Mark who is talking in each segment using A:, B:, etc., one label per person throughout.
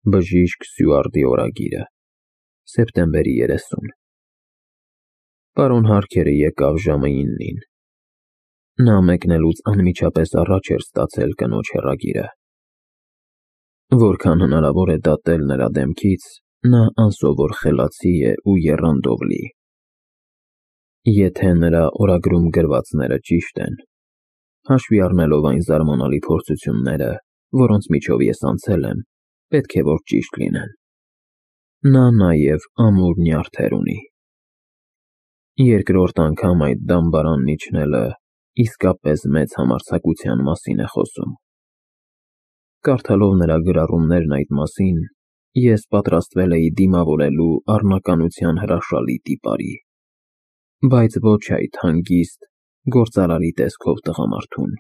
A: Բժիշկ Սյուարտի օրագիրը, սեպտեմբերի 30 Պարոն Հարքերը եկավ ժամը 9-ին։ Նա մեկնելուց անմիջապես առաջ էր ստացել կնոջ հեռագիրը։ Որքան հնարավոր է դատել նրա դեմքից, նա անսովոր խելացի է ու եռանդով լի։ Եթե նրա օրագրում գրվածները ճիշտ են, հաշվի առնելով այն զարմանալի փորձությունները, որոնց միջով ես անցել եմ, պետք է որ ճիշտ լինեն։ Նա նաև ամուր նյարդեր ունի։ Երկրորդ անգամ այդ դամբարանն իջնելը իսկապես մեծ համարձակության մասին է խոսում։ Կարդալով նրա գրառումներն այդ մասին, ես պատրաստվել էի դիմավորելու առնականության հրաշալի տիպարի, բայց ոչ այդ հանգիստ, գործարարի տեսքով տղամարդուն,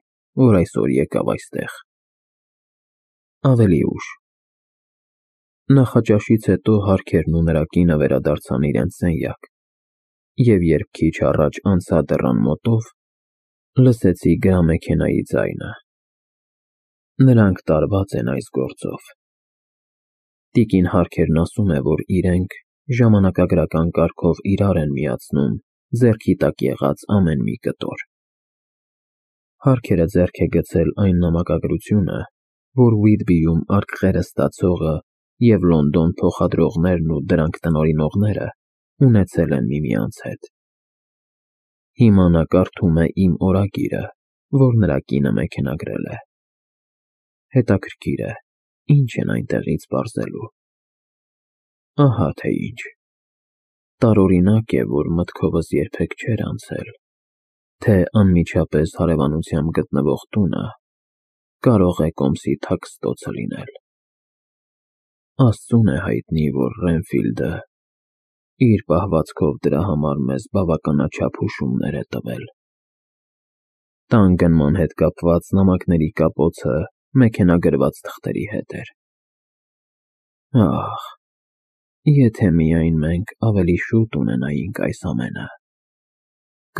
A: որ այսօր եկավ այստեղ։ Ավելի ուշ։ Նախաճաշից հետո Հարքերն ու նրա կինը վերադարձան իրենց սենյակ, և երբ քիչ առաջ անցա դռան մոտով, լսեցի գրամեքենայի ձայնը։ Նրանք տարված են այս գործով։ Տիկին Հարքերն ասում է, որ իրենք ժամանակագրական կարգով իրար են միացնում ձեռքի տակ եղած ամեն մի կտոր։ Հարքերը ձեռք է գցել այն նամակագրությունը, որ Ուիթբիում արկղերը ստացողը և Լոնդոն փոխադրողներն ու դրանք տնօրինողները ունեցել են միմյանց հետ։ Հիմա նա կարդում է իմ օրագիրը, որ նրա կինը մեքենագրել է։ Հետաքրքիր է, ինչ են այնտեղից պարզելու։ Ահա թե ինչ։ Տարօրինակ է, որ մտքովս երբեք չէր անցել, թե անմիջապես հարևանությամբ գտնվող տունը կարող է կոմսի թաքստոցը լինել։ Աստծուն է հայտնի, որ Ռենֆիլդը իր պահվածքով դրա համար մեզ բավականաչափ հուշումներ է տվել։ Տան գնման հետ կապված նամակների կապոցը մեքենագրված թղթերի հետ էր։ Ահ, եթե միայն մենք ավելի շուտ ունենայինք այս ամենը,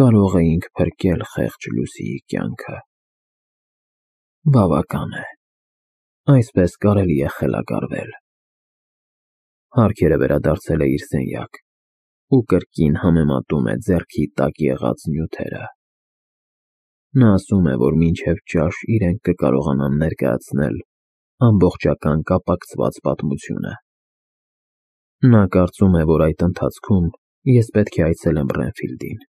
A: կարող էինք փրկել խեղճ Լուսիի կյանքը։ Բավական է, այսպես կարելի է խելագարվել։ Հարքերը վերադարձել է իր սենյակ ու կրկին համեմատում է ձեռքի տակ եղած նյութերը։ Նա ասում է, որ մինչև ճաշ իրենք կկարողանան ներկայացնել ամբողջական կապակցված պատմությունը։ Նա կարծում է, որ այդ ընթացքում ես պետք է այցելեմ Ռենֆիլդին,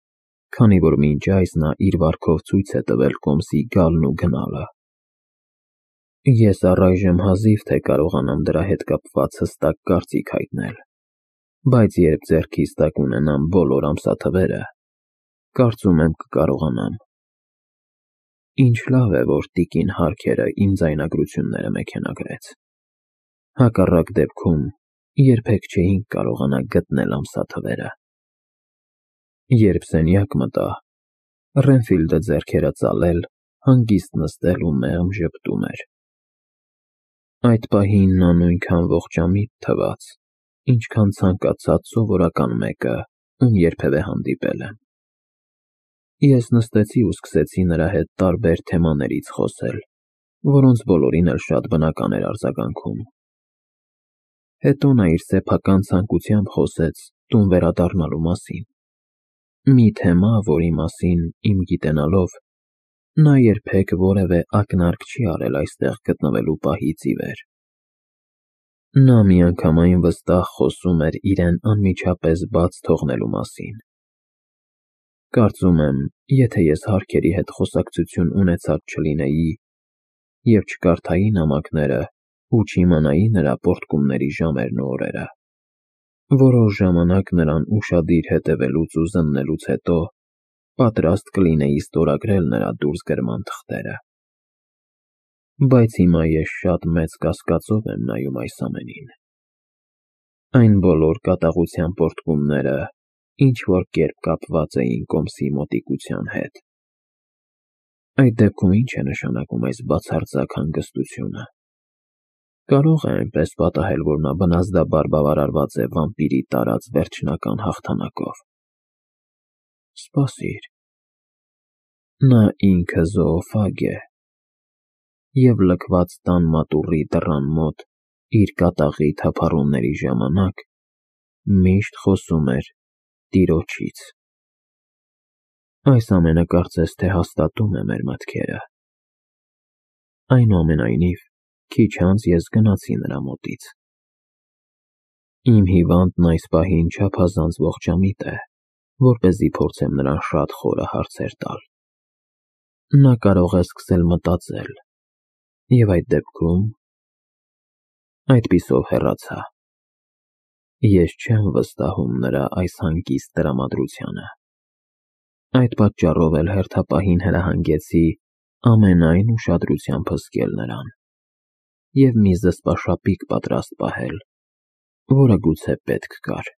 A: քանի որ մինչ այս նա իր վարքով ցույց է տվել կոմսի գալն ու գնալը։ Ես առայժմ հազիվ թե կարողանամ դրա հետ կապված հստակ կարծիք հայտնել, բայց երբ ձեռքիս տակ ունենամ բոլոր ամսաթվերը, կարծում եմ կկարողանամ։ Ինչ լավ է, որ տիկին Հարքերը իմ ձայնագրությունները մեքենագրեց։ Հակառակ դեպքում երբեք չէինք կարողանա գտնել ամսաթվերը։ Երբ սենյակ մտա, Ռենֆիլդը ձեռքերը ծալել, հանգիստ նստել ու մեղմ ժպտում էր։ Այդ պահին նա նույնքան ողջամիտ թվաց, ինչքան ցանկացած սովորական մեկը, ում երբևէ հանդիպել եմ։ Ես նստեցի ու սկսեցի նրա հետ տարբեր թեմաներից խոսել, որոնց բոլորին էլ շատ բնական էր արձագանքում։ Հետո նա իր սեփական ցանկությամբ խոսեց տուն վերադառնալու մասին։ Մի թեմա, որի մասին, իմ գիտենալով, նա երբեք որևէ ակնարկ չի արել այստեղ գտնվելու պահից ի վեր։ Նա միանգամայն վստահ խոսում էր իրեն անմիջապես բաց թողնելու մասին։ Կարծում եմ, եթե ես Հարքերի հետ խոսակցություն ունեցած չլինեի և չկարդայի նամակները ու չիմանայի նրա պոռթկումների ժամերն ու օրերը, որոշ ժամանակ նրան ուշադիր հետևելուց ու զննելուց հետո պատրաստ կլինեի ստորագրել նրա դուրսգրման թղթերը։ Բայց հիմա ես շատ մեծ կասկածով եմ նայում այս ամենին։ Այն բոլոր կատաղության պոռթկումները ինչ-որ կերպ կապված էին կոմսի մոտիկության հետ։ Այդ դեպքում ի՞նչ է նշանակում այս բացարձակ հանգստությունը։ Կարո՞ղ է այնպես պատահել, որ նա բնազդաբար բավարարված է վամպիրի տարած վերջնական հաղթանակով։ Սպասիր։ Նա ինքը զոոֆագ է և լքված տան մատուռի դռան մոտ իր կատաղի թափառումների ժամանակ միշտ խոսում էր տիրոջից։ Այս ամենը կարծես թե հաստատում է մեր մտքերը։ Այնուամենայնիվ, քիչ անց ես գնացի նրա մոտից։ Իմ հիվանդն այս պահին չափազանց ողջամիտ է, որպեսզի փորձեմ նրան շատ խորը հարցեր տալ։ Նա կարող է սկսել մտածել, և այդ դեպքում… Այդպիսով հեռացա։ Ես չեմ վստահում նրա այս հանգիստ տրամադրությանը։ Այդ պատճառով էլ հերթապահին հրահանգեցի ամենայն ուշադրությամբ հսկել նրան և մի զսպաշապիկ պատրաստ պահել, որը գուցե պետք գար։